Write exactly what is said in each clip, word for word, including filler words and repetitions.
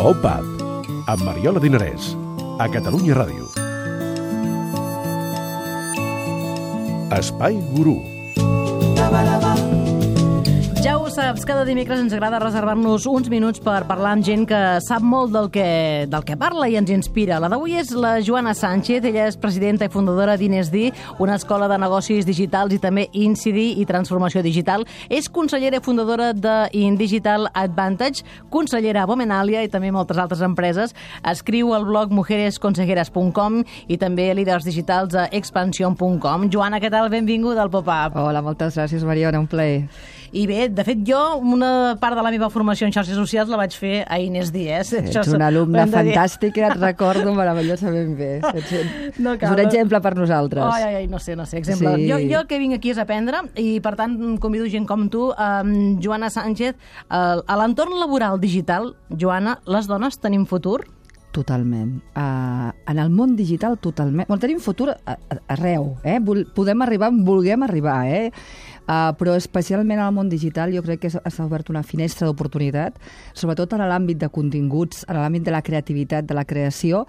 Pop-Up, amb Mariola Dinarès, a Catalunya Ràdio. Espai Gurú. Ja ho saps, cada dimecres ens agrada reservar-nos uns minuts per parlar amb gent que sap molt del que, del que parla i ens inspira. La d'avui és la Joana Sánchez, ella és presidenta i fundadora d'Inesdi, una escola de negocis digitals i també Incidi i transformació digital. És consellera i fundadora d'Indigital Advantage, consellera a Bomenalia i també moltes altres empreses. Escriu al blog mujeres consejeras punt com i també líders digitals a expansion punt com. Joana, què tal? Benvinguda al Pop-Up. Hola, moltes gràcies, Mariona, un plaer. I bé, de fet, jo una part de la meva formació en xarxes socials la vaig fer a Inesdi, eh? Ets una alumna fantàstica, et recordo meravellosament bé. Ets no un exemple per nosaltres. Ai, ai, ai, no sé, no sé, exemple. Sí. Jo, jo que vinc aquí és aprendre i, per tant, convido gent com tu, um, Joana Sánchez, uh, a l'entorn laboral digital, Joana, les dones tenim futur? Totalment. Uh, en el món digital, totalment. Bueno, tenim futur arreu, eh? Podem arribar on vulguem arribar, eh? Uh, però especialment al món digital jo crec que s'ha obert una finestra d'oportunitat, sobretot en l'àmbit de continguts, en l'àmbit de la creativitat, de la creació.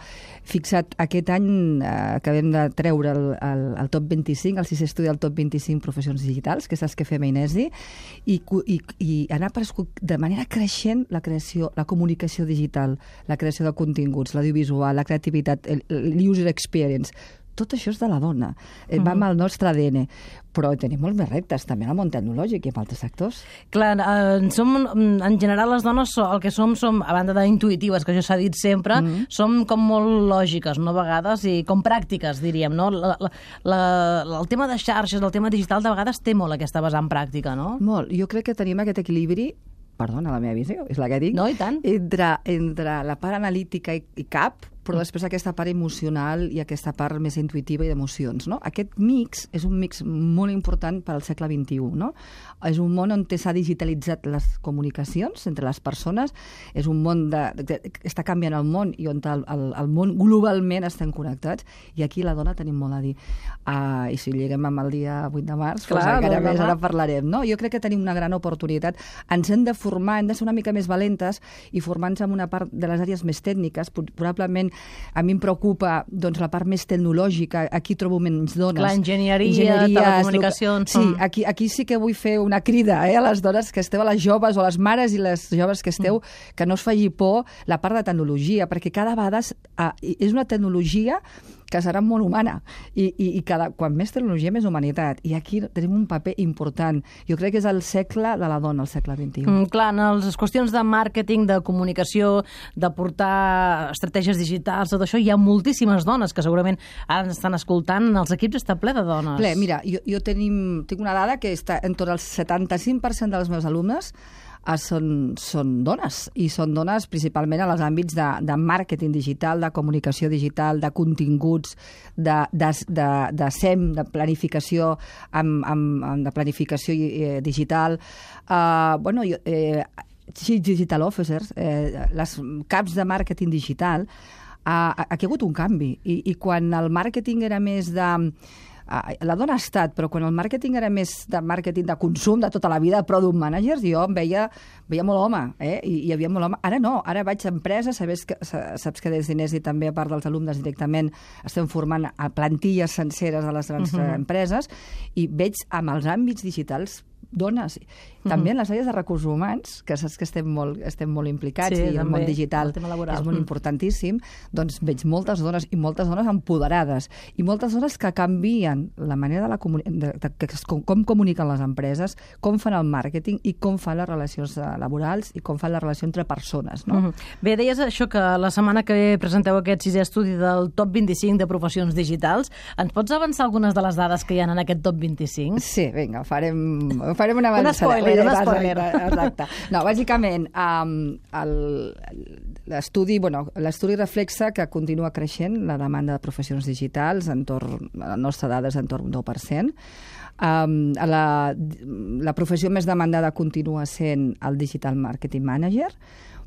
Fixa't, aquest any uh, acabem de treure el, el, el top vint-i-cinc, el sisè estudi del top vint-i-cinc professions digitals, que saps que fem a Inesdi, i, i, i han aparegut de manera creixent la creació, la comunicació digital, la creació de continguts, l'audiovisual, la creativitat, el, el user experience. Tot això és de la dona. Uh-huh. Va amb el nostre A D N. Però tenim molts més reptes, també en el món tecnològic i en altres sectors. Clar, eh, som, en general les dones el que som, som a banda d'intuitives, que això s'ha dit sempre, uh-huh. som com molt lògiques, no, a vegades, i com pràctiques, diríem, no? La, la, la, el tema de xarxes, el tema digital, de vegades té molt aquesta vessant pràctica, no? Molt. Jo crec que tenim aquest equilibri, perdona, la meva visió, és la que dic, no, i tant. Entre, entre la part analítica i, i cap, però després aquesta part emocional i aquesta part més intuitiva i d'emocions, no? Aquest mix és un mix molt important per al segle vint-i-u, no? És un món on s'ha digitalitzat les comunicacions entre les persones, és un món de, de, que està canviant el món i on el, el, el món globalment estem connectats, i aquí la dona tenim molt a dir. Uh, I si lliguem amb el dia vuit de març, clar, doncs encara més ara parlarem, no? Jo crec que tenim una gran oportunitat. Ens hem de formar, hem de ser una mica més valentes i formar-nos en una part de les àrees més tècniques. Probablement a mi em preocupa doncs, la part més tecnològica, aquí trobo menys dones. La enginyeria, telecomunicacions... Sí, aquí, aquí sí que vull fer una crida eh, a les dones que esteu, a les joves, o a les mares i les joves que esteu, mm. que no us faci por la part de tecnologia, perquè cada vegada uh, és una tecnologia que serà molt humana, i, i, i cada, quan més tecnologia, més humanitat, i aquí tenim un paper important. Jo crec que és el segle de la dona, el segle vint-i-u. Mm, clar, en les qüestions de màrqueting, de comunicació, de portar estratègies digitals, tot això, hi ha moltíssimes dones que segurament ara ens estan escoltant, els equips està ple de dones. Ple, mira, jo, jo tenim, tinc una dada que està en tot el setanta-cinc per cent dels meus alumnes Són, són dones, i són dones principalment en els àmbits de, de màrqueting digital, de comunicació digital, de continguts, de, de, de, de S E M, de planificació, amb, amb, amb de planificació eh, digital. Uh, bueno, jo, eh, Chief Digital Officers, eh, les caps de màrqueting digital, uh, aquí ha hagut un canvi, i, i quan el màrqueting era més de... La dona ha estat, però quan el màrqueting era més de màrqueting de consum, de tota la vida, de product managers, jo em veia, veia molt home, eh? I hi havia molt home. Ara no, ara vaig a empreses, sabes que, saps que des d'Inesdi també, a part dels alumnes directament, estem formant a plantilles senceres de les grans uh-huh. empreses, i veig amb els àmbits digitals dones. També en les àrees de recursos humans, que saps que estem molt, estem molt implicats, sí, i el món digital el és molt importantíssim, doncs veig moltes dones, i moltes dones empoderades, i moltes dones que canvien la manera de la comuni- de, de, de, com, com comuniquen les empreses, com fan el màrqueting i com fan les relacions laborals i com fan la relació entre persones, no? Uh-huh. Bé, deies això, que la setmana que ve presenteu aquest sisè estudi del top vint-i-cinc de professions digitals. Ens pots avançar algunes de les dades que hi ha en aquest top vint-i-cinc? Sí, vinga, farem, farem una avançada. Un spoiler, un spoiler. Exacte. No, bàsicament, um, l'estudi, bueno, l'estudi reflexa que continua creixent la demanda de professions digitals, entorn, la nostra dada és entorn un deu per cent. Um, la, la professió més demandada continua sent el Digital Marketing Manager,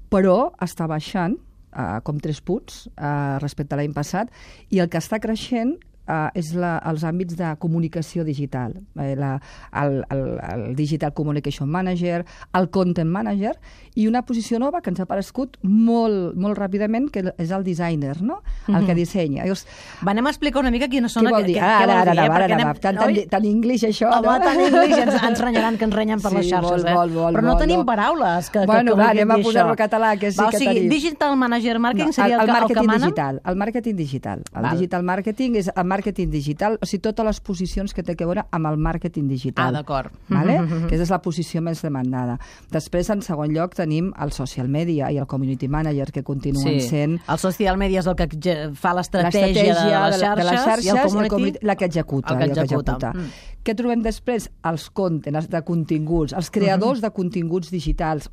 però està baixant uh, com tres punts uh, respecte a l'any passat, i el que està creixent uh, és la, els àmbits de comunicació digital, eh, la, el, el, el Digital Communication Manager, el Content Manager, i una posició nova que ens ha aparegut molt, molt ràpidament, que és el designer, no? El mm-hmm. que dissenya. Llavors, Va, anem a explicar una mica quines són... Què vol dir? Què, ara, què vol ara, dir, ara, eh? ara, Anem... ara, tan, tan, tan English això, Home, no? tan English, ens, ens renyaran que ens renyen per Sí, les xarxes, molt, eh? molt, molt, Però no molt, tenim no. paraules que, Bueno, que, va, que anem a dir posar-ho això. en català, que sí va, que o sigui, tenim. Digital Manager Marketing No, seria el, el, el, el el que màrqueting manen? digital, el màrqueting digital. El Val. digital marketing és el màrqueting digital, o sigui, totes les posicions que té a veure amb el màrqueting digital. Ah, d'acord. Vale? Que és la posició més demandada. Després, en segon lloc, tenim el social media i el community manager, que continuen Sí. sent... El social media és el que ge- fa l'estratègia de, l'estratègia les xarxes, de les xarxes i el i community, community, la que executa. el que i el que executa. executa. Mm. Què trobem després? Els content, els de continguts, els creadors de continguts digitals,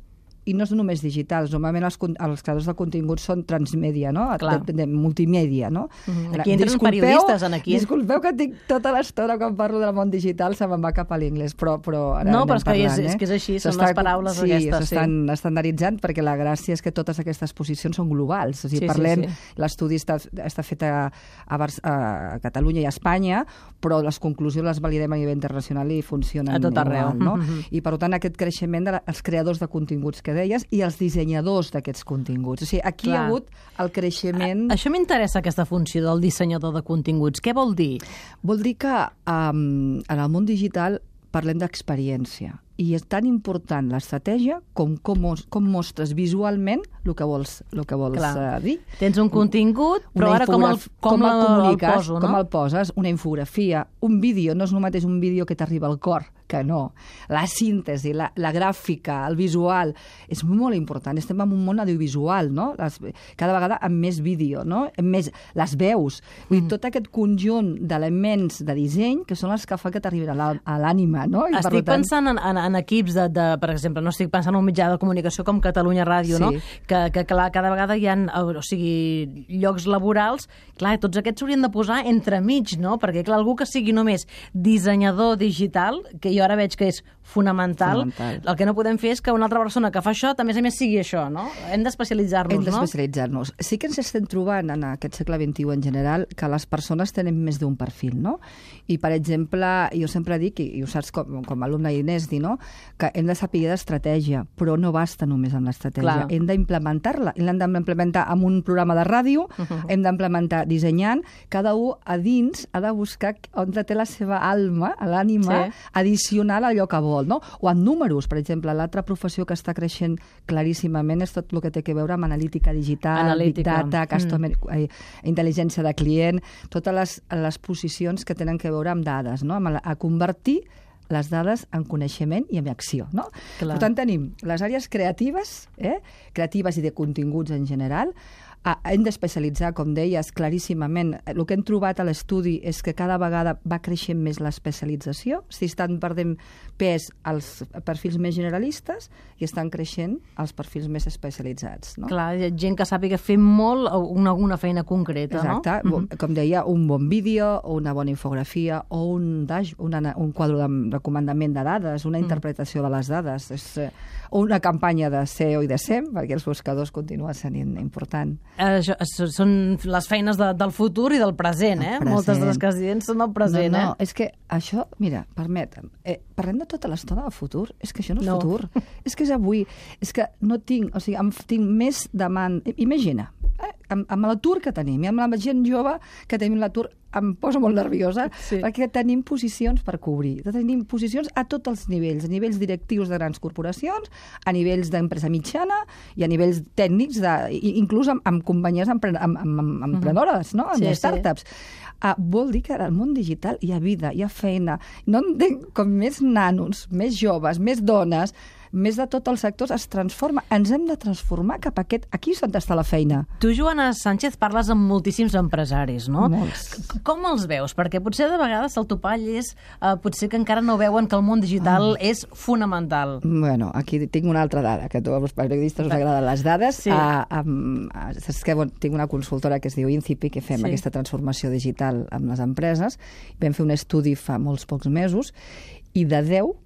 i no és només digitals, normalment els, con- els creadors de continguts són transmèdia, no? Clar. De, de multimèdia, no? Mhm. Aquí entren periodistes, en aquí. Disculpeu que tinc tota l'estona quan parlo del món digital, se me'n va cap a l'inglès, però, però ara No, anem però és que és- parlant, és eh? que és així, són S'està- les paraules sí, aquestes, sí. s'estan estandarditzant, perquè la gràcia és que totes aquestes posicions són globals. O sigui, Sí, sí, parlem, sí. l'estudi està, està fet a, a, Bar a Catalunya i a Espanya, però les conclusions les validem a nivell internacional i funcionen A tot arreu. igual, no? Mhm. I, per tant, aquest creixement dels creadors de continguts que deies i els dissenyadors d'aquests continguts. O sigui, aquí Clar. hi ha hagut el creixement... Això m'interessa, aquesta funció del dissenyador de continguts. Què vol dir? Vol dir que um, en el món digital parlem d'experiència i és tan important l'estratègia com com, mos- com mostres visualment el que vols, el que vols Clar. uh, dir. Tens un contingut, però Una ara com el, infograf- com el el, el comuniques, poso, com no? el poses, una infografia, un vídeo, no és el mateix un vídeo que t'arriba al cor, que no. La síntesi, la, la gràfica, el visual, és molt important. Estem en un món audiovisual, no? Les, cada vegada amb més vídeo, no? Amb més, les veus. Vull dir, Mm. tot aquest conjunt d'elements de disseny que són els que fan que t'arribin a l'à- a l'ànima, no? I, per Estic tant, pensant en, en, en equips de, de, per exemple, no estic pensant en un mitjà de comunicació com Catalunya Ràdio, Sí. no? Que, que clar, cada vegada hi ha, o sigui, llocs laborals, clar, tots aquests s'haurien de posar entremig, no? Perquè, clar, algú que sigui només dissenyador digital, que jo ara veig que és fonamental, Fonamental. el que no podem fer és que una altra persona que fa això, també a més sigui això, no? Hem d'especialitzar-nos, Hem no? d'especialitzar-nos. Sí que ens estem trobant en aquest segle vint-i-u en general que les persones tenen més d'un perfil, no? I, per exemple, jo sempre dic, i, i ho saps com, com a alumne d'Inesti, no? Que hem de saber d'estratègia, però no basta només amb l'estratègia. Clar. Hem d'implementar-la. L'hem d'implementar amb un programa de ràdio, uh -huh. hem d'implementar dissenyant. Cada un a dins ha de buscar on té la seva alma, l'ànima, Sí. addicional a allò que vol, no? O amb números, per exemple. L'altra professió que està creixent claríssimament és tot el que té a veure amb analítica digital, Analítica. big data, customer, mm. eh, intel·ligència de client, totes les, les posicions que tenen a veure amb dades, no? Amb la, a convertir les dades en coneixement i en acció, no? Clar. Per tant, tenim les àrees creatives, eh? creatives i de continguts en general. Ah, hem d'especialitzar, com deies, claríssimament. El que hem trobat a l'estudi és que cada vegada va creixent més l'especialització, si estan perdent pes els perfils més generalistes i estan creixent els perfils més especialitzats. No? Clar, hi ha gent que sàpiga fer molt o una, alguna feina concreta, Exacte. no? Mm -hmm. Com deia, un bon vídeo o una bona infografia o un, dash, una, un quadre de, de comandament de dades, una interpretació de les dades, és, eh, o una campanya de S E O i de S E M, perquè els buscadors continuen sent important. Eh, Això, això són les feines de, del futur i del present, eh? present. Moltes de les que es diuen són el present, no, no, eh? és que això, mira, permetem, eh, parlem de tota l'estona del futur, és que això no és No. futur, és que és avui, és que no tinc, o sigui, em, tinc més demanda, imagina, eh, amb, amb l'atur que tenim, i amb la gent jove que tenim l'atur, em posa molt nerviosa, Sí. perquè tenim posicions per cobrir, tenim posicions a tots els nivells, a nivells directius de grans corporacions, a nivells d'empresa mitjana i a nivells tècnics, de, i- inclús amb, amb companyies empre, amb, amb, amb, amb emprenedores, no? amb Sí, sí. startups. Ah, vol dir que al món digital hi ha vida, hi ha feina. No entenc com més nanos, més joves, més dones, més de tots els sectors es transforma. Ens hem de transformar cap a aquest... Aquí és on està la feina. Tu, Joana Sánchez, parles amb moltíssims empresaris, no? Molts. C- Com els veus? Perquè potser de vegades el topall és... Eh, potser que encara no veuen que el món digital Ah. és fonamental. Bueno, aquí tinc una altra dada, que a tots els periodistes us agraden les dades. Sí. Ah, amb, ah, saps que bon, tinc una consultora que es diu Incipi, que fem Sí. aquesta transformació digital amb les empreses. Vam fer un estudi fa molts pocs mesos, i de deu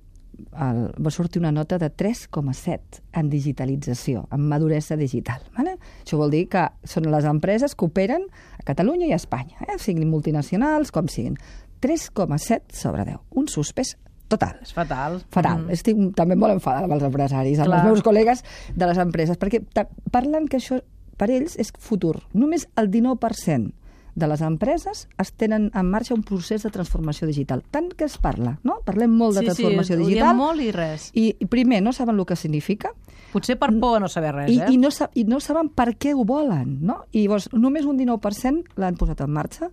el, va sortir una nota de tres coma set en digitalització, en maduresa digital. Vale? Això vol dir que són les empreses que operen a Catalunya i a Espanya, eh? siguin multinacionals com siguin. tres coma set sobre deu, un suspès total. És fatal. Fatal. Mm. Estic també molt enfadada amb els empresaris, amb Clar. els meus col·legues de les empreses, perquè parlen que això per ells és futur. Només el dinou per cent de les empreses es tenen en marxa un procés de transformació digital. Tant que es parla, no? Parlem molt de sí, transformació sí, digital. Sí, molt i res. I, I primer, no saben el que significa. Potser per por a no saber res, I, eh? I, no, I no saben per què ho volen, no? I llavors, només un dinou per cent l'han posat en marxa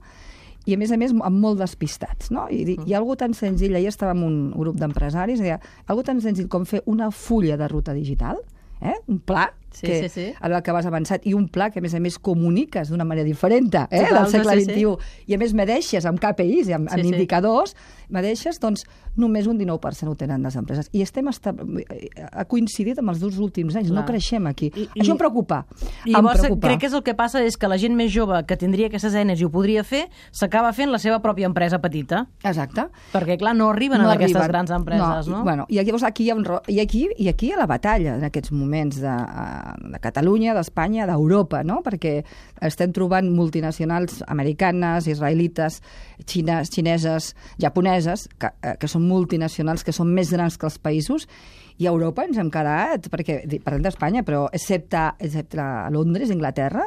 i, a més a més, amb molt despistats, no? I, mm. i algo tan senzill, ahir estava amb un grup d'empresaris, deia, algo tan senzill com fer una fulla de ruta digital, eh? un pla, Sí, que, sí, sí. en el que vas avançat, i un pla que, a més a més, comuniques d'una manera diferent eh, Total, del segle sí, vint-i-u, sí. i a més medeixes amb K P Is i amb, sí, amb sí. indicadors, medeixes, doncs només un dinou per cent ho tenen les empreses. I estem esta... ha coincidit amb els dos últims anys, Clar. no creixem aquí. I, Això em preocupa. I em llavors preocupa. crec que és el que passa és que la gent més jove que tindria aquestes eines i ho podria fer, s'acaba fent la seva pròpia empresa petita. Exacte. Perquè, clar, no arriben no a aquestes arriben. grans empreses, no? no? Bueno, i llavors aquí hi ha un... I aquí, i aquí hi ha la batalla en aquests moments de, de Catalunya, d'Espanya, d'Europa, no? Perquè estem trobant multinacionals americanes, israelites, xines, xineses, japoneses, que, que són multinacionals, que són més grans que els països, i a Europa ens hem quedat, perquè parlem d'Espanya, però excepte, excepte Londres, Inglaterra,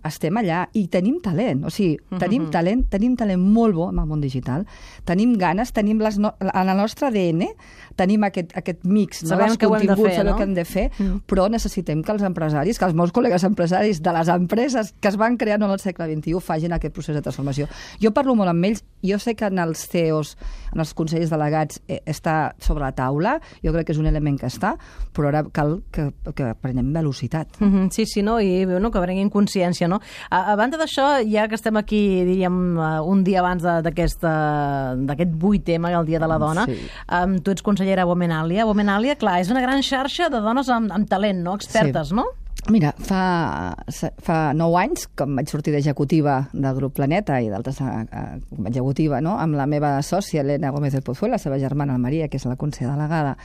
estem allà i tenim talent, o sigui, tenim talent, tenim talent molt bo en el món digital, tenim ganes, tenim les no... en el nostre A D N, tenim aquest, aquest mix, no? Sabem què ho hem de fer, sabem no? què hem de fer, mm. però necessitem que els empresaris, que els meus col·legues empresaris de les empreses que es van crear en el segle vint-i-u facin aquest procés de transformació. Jo parlo molt amb ells, jo sé que en els C E Os, en els consells delegats, eh, està sobre la taula, jo crec que és un element que està, però ara cal que, que prenem velocitat. Mm -hmm, sí, sí, no? I no, que prenguin consciència, no? A, a banda d'això, ja que estem aquí, diríem, un dia abans d'aquest vuit M, el Dia de la Dona, sí. um, tu ets consellera a Womenalia. Womenalia, clar, és una gran xarxa de dones amb, amb talent, no? Expertes, sí. no? Mira, fa, fa nou anys, com vaig sortir d'executiva del grup Planeta i d'altres com executiva, no? amb la meva sòcia, Elena Gómez del Pozuelo, la seva germana, la Maria, que és la consellera delegada,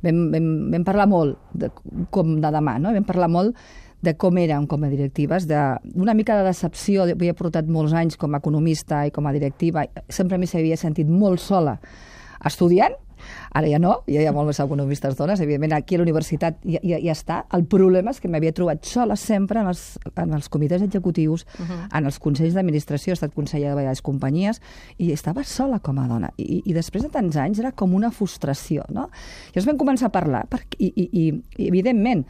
vam, vam, vam parlar molt de, com de demà, no? vam parlar molt de com érem com a directives, d'una mica de decepció. Havia portat molts anys com a economista i com a directiva, sempre m'hi s'havia sentit molt sola estudiant. Ara ja no, ja hi ha molts més economistes dones, evidentment aquí a la universitat ja, ja, ja està. El problema és que m'havia trobat sola sempre en els, en els comitès executius, uh-huh. en els consells d'administració, he estat consellera de diverses companyies, i estava sola com a dona. I, i després de tants anys era com una frustració, no? Llavors vam començar a parlar, perquè, i, i, i, i evidentment,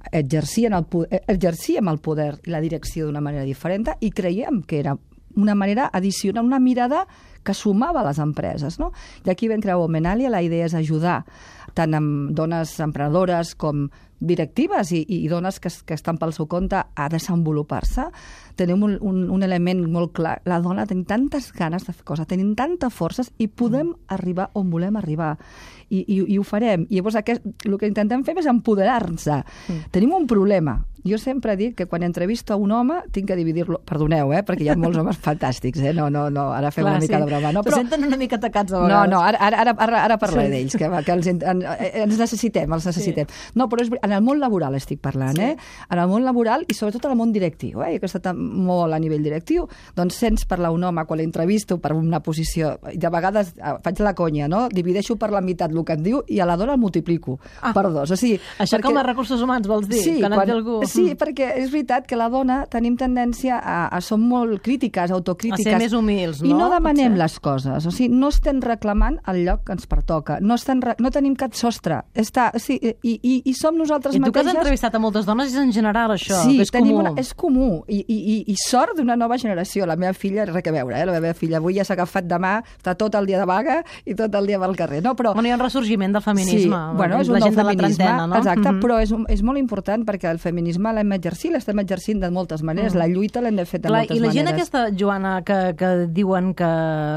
exercíem el, exercíem el poder i la direcció d'una manera diferent i creiem que era una manera addicional, una mirada que sumava a les empreses, no? I aquí vam crear Womenalia, la idea és ajudar tant amb dones emprenedores com directives i, i dones que, que estan pel seu compte a desenvolupar-se. Tenim un, un, un element molt clar. La dona tenim tantes ganes de fer coses, tenim tantes forces i podem mm. arribar on volem arribar. I, i, i ho farem. I llavors aquest, el que intentem fer és empoderar-nos. Mm. Tenim un problema. Jo sempre dic que quan entrevisto a un home tinc que dividir-lo... Perdoneu, eh? Perquè hi ha molts homes fantàstics, eh? No, no, no, ara fem Clar, una mica sí. de broma. No, però... senten una mica atacats a vegades. No, no, ara, ara, ara, ara parlaré sí. d'ells, que, que els, en, ens necessitem, els necessitem. Sí. No, però és, en el món laboral estic parlant, sí. eh? En el món laboral i sobretot en el món directiu, eh? Jo que he estat molt a nivell directiu, doncs sents parlar un home quan l'entrevisto per una posició, i de vegades faig la conya, no? Divideixo per la meitat el que em diu i a la dona el multiplico ah. per dos. O sigui, això perquè... com a recursos humans vols dir? Sí, quan quan... algú... sí, perquè és veritat que la dona tenim tendència a, a som molt crítiques, autocrítiques. A ser més humils, no? I no demanem les coses. O sigui, no estem reclamant el lloc que ens pertoca. No, estem re... no tenim cap sostre. Està... Sí, i, i, I som nosaltres mateixes... I tu mateixes... que has entrevistat a moltes dones és en general això, sí, que és comú. Una... és comú. I, i, i sort d'una nova generació. La meva filla, res a veure, eh? La meva filla avui ja s'ha agafat demà, està tot el dia de vaga i tot el dia pel carrer. No, però... Bueno, hi ha un ressorgiment del feminisme. Sí, bueno, és un la nou gent de la trentena, no? Exacte, uh-huh. però és, és molt important perquè el feminisme l'hem exercit, l'estem exercint de moltes maneres, uh-huh. la lluita l'hem de fer de Clar, moltes maneres. I la maneres. gent aquesta, Joana, que, que diuen que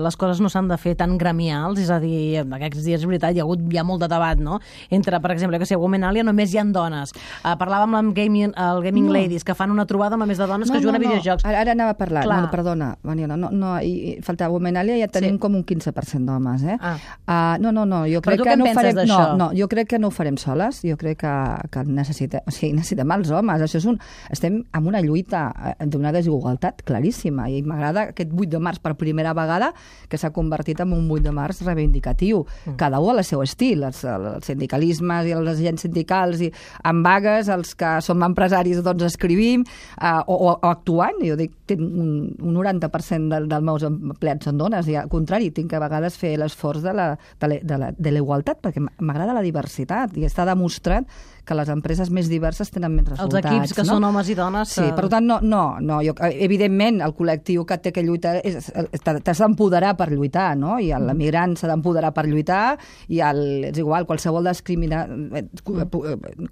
les coses no s'han de fer tan gremials, és a dir, aquests dies, és veritat, hi ha hagut ja molt de debat, no? Entre, per exemple, que si a Womenalia només hi ha en dones. Uh, parlàvem amb Gaming, el Gaming No. Ladies, que fan una trobada amb més de dones que juguen a videojocs. Ara, ara anava a parlar. Clar. No, no, perdona, Mariona, no, no, i, i faltava Womenalia, ja tenim Sí. com un quinze per cent d'homes, eh? Ah. Uh, no, no, no, jo Però crec tu que què en no ho penses farem... No, d'això? no, jo crec que no ho farem soles, jo crec que, que necessitem, o sigui, necessitem els homes. Això és un... Estem en una lluita eh, d'una desigualtat claríssima i m'agrada aquest vuit de març per primera vegada que s'ha convertit en un vuit de març reivindicatiu. Mm. Cada un al seu estil, els, els sindicalismes i els agents sindicals i amb vagues, els que som empresaris doncs escrivim uh, o, o, o actuant. Jo dic, tinc un, un noranta per cent del, dels meus empleats són dones i al contrari, tinc que a vegades fer l'esforç de la, de, la, de, la, de la igualtat perquè m'agrada la diversitat i està demostrat que les empreses més diverses tenen més resultats. Els equips que no? són homes i dones... Sí, per tant, no, no, no jo, evidentment el col·lectiu que té que lluitar és- t'has d'empoderar per lluitar, no? I l'emigrant s'ha d'empoderar per lluitar i el, és igual, qualsevol discrimina,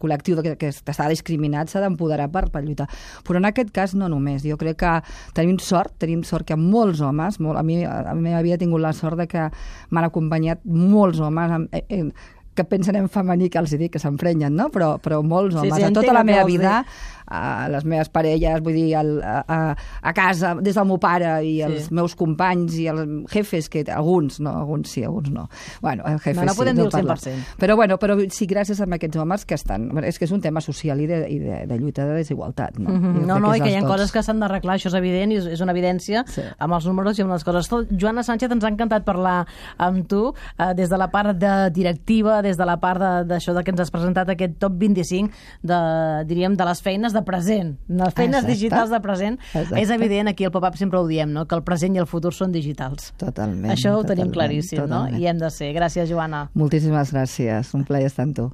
col·lectiu que, que està discriminat s'ha d'empoderar per, per lluitar. Però en aquest cas no només. Jo crec que tenim sort, tenim sort que molts homes, molt, a mi a la meva vida he tingut la sort de que m'han acompanyat molts homes amb, eh, eh, que pensen en femení, que els hi dic, que s'emprenyen, no? Però, però molts Sí, homes. sí, a entenc tota la el que meva vols vida, a les meves parelles, vull dir, al, a, a, a casa, des del meu pare i els Sí. meus companys i els jefes, que alguns, no, alguns sí, alguns no. Bueno, els jefes No, no sí, podem dir el parlo. cent per cent. Però, bueno, però sí, gràcies a aquests homes que estan... És que és un tema social i de, i de, de lluita de desigualtat, no? Mm -hmm. Jo No, crec no, és i que hi ha dels coses tots. que s'han d'arreglar, això és evident, i és, és una evidència Sí. amb els números i amb les coses. Tot. Joana Sánchez, ens ha encantat parlar amb tu, eh, des de la part de directiva, des de la part d'això de, de que ens has presentat aquest top vint-i-cinc de, diríem, de les feines de present, les feines Exacte. digitals de present. Exacte. És evident, aquí al Pop-Up sempre ho diem, no? Que el present i el futur són digitals. Totalment. Això ho tenim totalment, claríssim, totalment. no? I hem de ser. Gràcies, Joana. Moltíssimes gràcies. Un plaer estar amb tu.